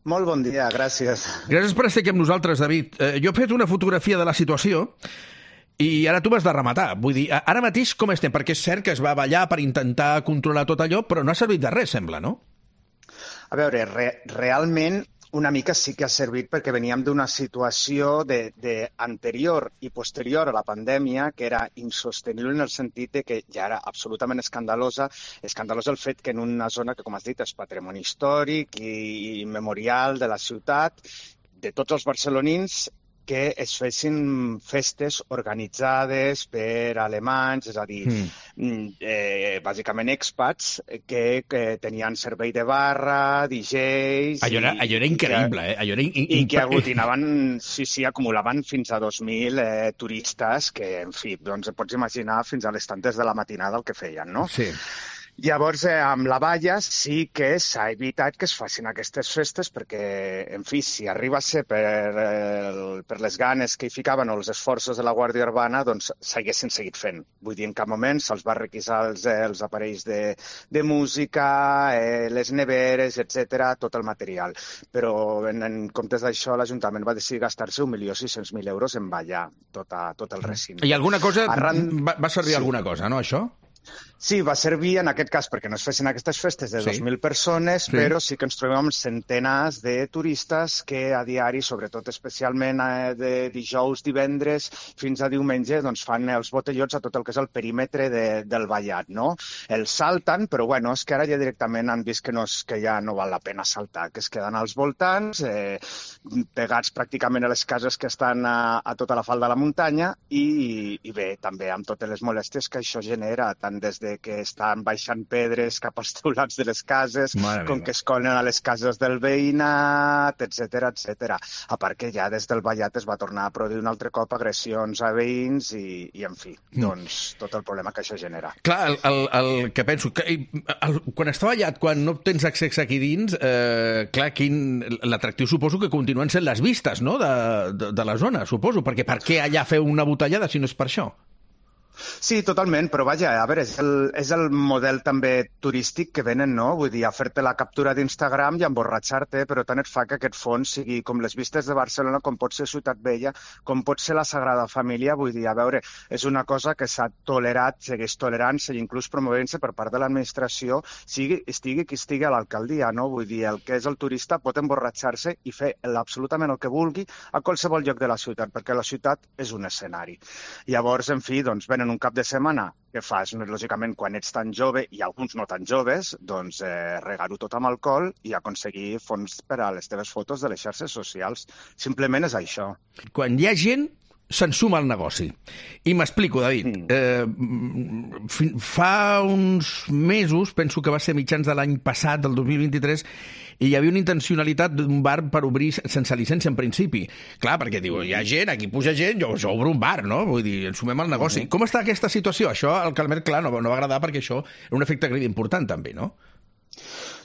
Molt bon dia, gràcies. Gràcies per estar aquí amb nosaltres, David. Jo he fet una fotografia de la situació i ara tu m'has de rematar. Vull dir, ara mateix com estem? Perquè és cert que es va ballar per intentar controlar tot allò, però no ha servit de res, sembla, no? A veure, realment una mica sí que ha servit perquè veníem d'una situació anterior i posterior a la pandèmia que era insostenible en el sentit de que ja era absolutament escandalosa el fet que en una zona que, com has dit, és patrimoni històric i memorial de la ciutat, de tots els barcelonins, que es fessin festes organitzades per alemanys, és a dir, bàsicament expats, que tenien servei de barra, DJs... Allò era increïble, I que aglutinaven, sí, acumulaven fins a 2.000 turistes, que, en fi, doncs pots imaginar fins a les tantes de la matinada el que feien, no? Sí. Llavors, amb la valla sí que s'ha evitat que es facin aquestes festes perquè, en fi, si arriba a ser per les ganes que hi ficaven o els esforços de la Guàrdia Urbana, doncs s'haguessin seguit fent. Vull dir, en cap moment se'ls va requisar els aparells de música, les neveres, etc, tot el material. Però, en comptes d'això, l'Ajuntament va decidir gastar-se 1.600.000 euros en ballar tot el recinte. I alguna cosa... Va servir alguna cosa, no, això? Sí, va servir en aquest cas perquè no es fessin aquestes festes de 2.000 persones, però sí que ens trobem amb centenars de turistes que a diari, sobretot especialment de dijous, divendres, fins a diumenge, doncs fan els botellots a tot el que és el perímetre del ballat, no? Els salten, però bueno, és que ara ja directament han vist que ja no val la pena saltar, que es queden als voltants, pegats pràcticament a les cases que estan a tota la falda de la muntanya i bé, també amb totes les molèsties que això genera, tant des de que estan baixant pedres cap als teulats de les cases, com que es colen a les cases del veïnat, etc. A part que ja des del ballat es va tornar a produir un altre cop agressions a veïns i en fi, doncs tot el problema que això genera. Clar, el que penso, quan està ballat, quan no tens accés aquí dins, clar, l'atractiu suposo que continuen sent les vistes, no?, de la zona, suposo, perquè per què allà fer una botellada si no és per això? Sí, totalment, però vaja, a veure, és el model també turístic que venen, no? Vull dir, a fer-te la captura d'Instagram i emborratxar-te, però tant et fa que aquest fons sigui com les vistes de Barcelona, com pot ser Ciutat Vella, com pot ser la Sagrada Família, vull dir, a veure, és una cosa que s'ha tolerat, segueix tolerant-se i inclús promovent-se per part de l'administració, estigui qui estigui a l'alcaldia, no? Vull dir, el que és el turista pot emborratxar-se i fer absolutament el que vulgui a qualsevol lloc de la ciutat, perquè la ciutat és un escenari. Llavors, en fi, doncs, venen un cap de setmana, què fas? Lògicament, quan ets tan jove, i alguns no tan joves, doncs regar-ho tot amb alcohol i aconseguir fons per a les teves fotos de les xarxes socials. Simplement és això. Quan hi ha gent, se'n suma al negoci. I m'explico, David. Fa uns mesos, penso que va ser mitjans de l'any passat, del 2023, i hi havia una intencionalitat d'un bar per obrir sense llicència en principi. Clar, perquè diu, hi ha gent, aquí puja gent, jo obro un bar, no? Vull dir, ens sumem al negoci. Com està aquesta situació? Això al Calmet, clar, no va agradar perquè això era un efecte crida important també, no?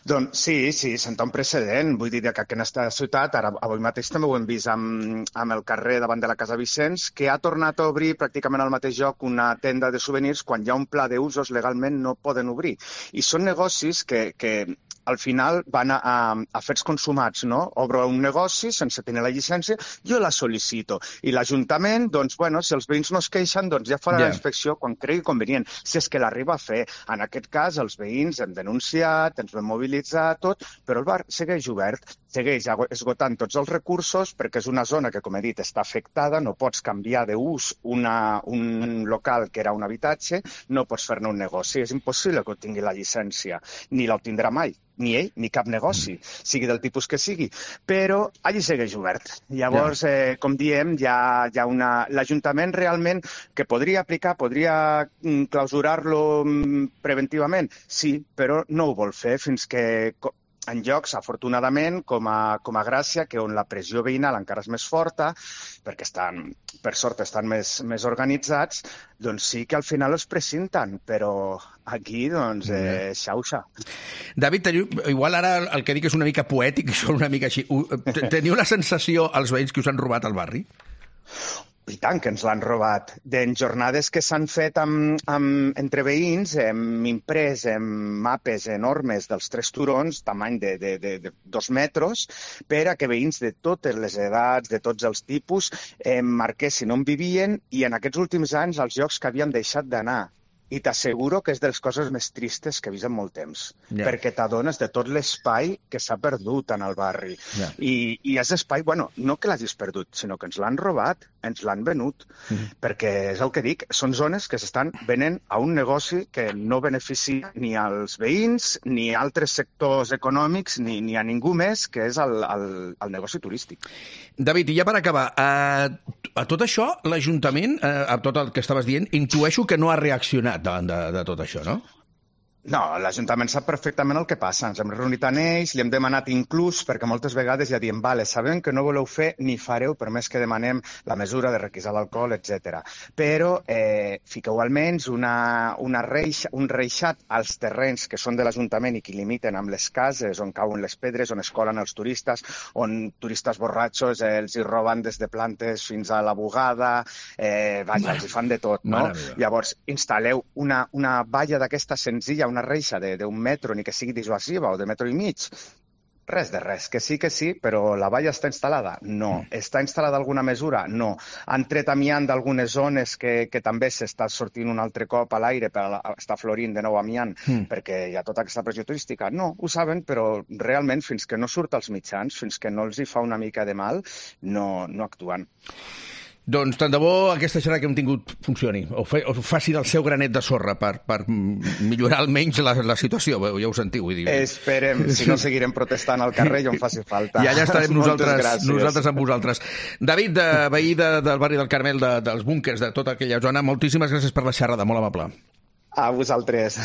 Doncs sí, senta un precedent. Vull dir que en aquesta ciutat, ara avui mateix també ho hem vist amb el carrer davant de la Casa Vicenç, que ha tornat a obrir pràcticament al mateix lloc una tenda de souvenirs quan hi ha un pla d'usos legalment no poden obrir. I són negocis que al final van a fets consumats, no? Obro un negoci sense tenir la llicència, jo la sol·licito. I l'Ajuntament, doncs, bueno, si els veïns no es queixen, doncs ja farà la inspecció quan cregui convenient. Si és que l'arriba a fer. En aquest cas, els veïns hem denunciat, ens vam mobilitzar, tot, però el bar segueix obert, segueix esgotant tots els recursos perquè és una zona que, com he dit, està afectada, no pots canviar d'ús un local que era un habitatge, no pots fer-ne un negoci. És impossible que tingui la llicència, ni l'obtindrà mai. Ni ell, ni cap negoci, sigui del tipus que sigui, però allí segueix obert. Llavors, com diem, hi ha l'Ajuntament realment que podria aplicar, podria clausurar-lo preventivament, sí, però no ho vol fer fins que en llocs, afortunadament, com a Gràcia, que on la pressió veïnal encara és més forta, perquè per sort estan més organitzats, doncs sí que al final els precinten, però aquí, doncs, xauxa. David, igual ara el que dic és una mica poètic, això una mica així. Teniu la sensació, els veïns, que us han robat al barri? I tant que ens l'han robat. En jornades que s'han fet entre veïns, hem imprès mapes enormes dels 3 turons, tamany de 2 metres, per a que veïns de totes les edats, de tots els tipus, marquessin on vivien i en aquests últims anys als llocs que havíem deixat d'anar. I t'asseguro que és de les coses més tristes que he vist en molt temps, perquè t'adones de tot l'espai que s'ha perdut en el barri. I és espai, no que l'hagis perdut, sinó que ens l'han robat, ens l'han venut, perquè és el que dic, són zones que s'estan venent a un negoci que no beneficia ni als veïns, ni a altres sectors econòmics, ni a ningú més, que és el negoci turístic. David, i ja per acabar, a tot això, l'Ajuntament, a tot el que estaves dient, intueixo que no ha reaccionat davant de tot això, no? No, l'Ajuntament sap perfectament el que passa. Ens hem reunit amb ells, li hem demanat inclús, perquè moltes vegades ja diem, vale, sabem que no voleu fer ni fareu, per més que demanem la mesura de requisar l'alcohol, etc. Però fiqueu almenys un reixat als terrenys que són de l'Ajuntament i que limiten amb les cases, on cauen les pedres, on es colen els turistes, on turistes borratxos els hi roben des de plantes fins a la bugada, vaja, els hi fan de tot, no? Llavors, instal·leu una valla d'aquesta senzilla, una reixa d'un metro, ni que sigui dissuasiva o de metro i mig. Res de res. Que sí, però la valla està instal·lada? No. Està instal·lada alguna mesura? No. Han tret amiant d'algunes zones que també s'està sortint un altre cop a l'aire per estar florint de nou amiant perquè hi ha tota aquesta pressió turística? No, ho saben, però realment fins que no surt als mitjans, fins que no els hi fa una mica de mal, no actuen. Doncs tant de bo aquesta xerrada que hem tingut funcioni, o faci del seu granet de sorra per millorar almenys la situació, ja ho sentiu. Vull dir. Esperem, si no seguirem protestant al carrer i on faci falta. I allà estarem nosaltres amb vosaltres. David, veí del barri del Carmel, dels búnquers, de tota aquella zona, moltíssimes gràcies per la xerrada, molt amable. A vosaltres.